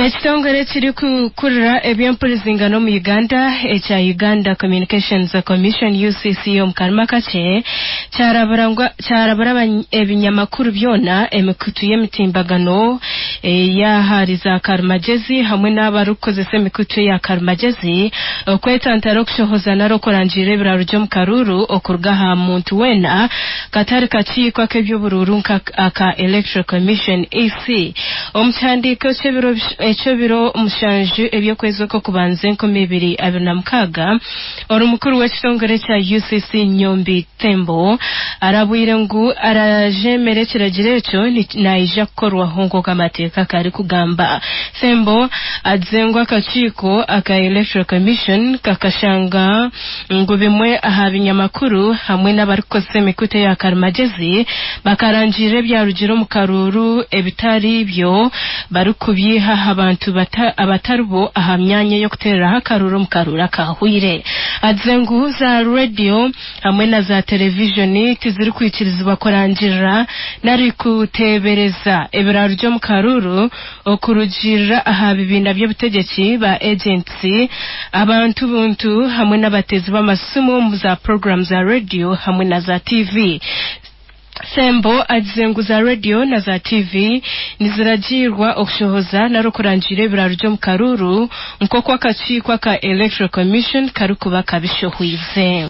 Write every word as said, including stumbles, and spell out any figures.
Ekitongore ekirikukurira eby'empurizingano omu Uganda ekya Uganda Communications Commission U C C omu karimi akakye kyarabura ngu- kyarabura abany- ebinyamakuru byona, emikutu y'emitimbagano ey'ahari za karimagezi hamwe n'abarikukozesa emikutu eya karimagezi okwetantara okushohoza nari okurangirira ebiraro by'omu karuuru okuruga aha muntu weena katari kakiiko ak'eby'oburuuru nka aka Electoral Commission E C. Omu kihandiiko ky'ebiro eky'ebiro mushanju eby'okwezi okw'okubanza enkumi ibiri abiri na mukaaga, ori mukuru w'ekitongore kya U C C Nyombi Thembo arabwire ngu arajemera ekiragiro ekyo ni- naija kukorwaho nk'oku amateeka karikugamba. Thembo agize ngu akakiiko aka Electoral Commission kakashanga ngu bimwe aha binyamakuru hamwe n'abarikukozesa emikutu eya karimagezi bakarangirira ebyarugire omu karuuru ebitari byo barikubyiha aha bantu bata- abatari bo aha myanya y'okuteereraho akaruuru omu karuuru akahwire. Agize ngu za rediyo hamwe na za televijoni tizirikwikirizibwa kurangirira nari kuteebereza ebiraro by'omu karuuru okurugiirira aha bibiina by'obutegyeki, ba agents, abantu buntu hamwe n'abateezi b'amasimu omu za puroguramu za rediyo hamwe na za T V. Thembo agize ngu za rediyo na za T V niziragiirwa okushohoza nari okurangirira ebiraro by'omu karuuru nk'oku akakiiko aka Electoral Commission karikuba kabishohwize.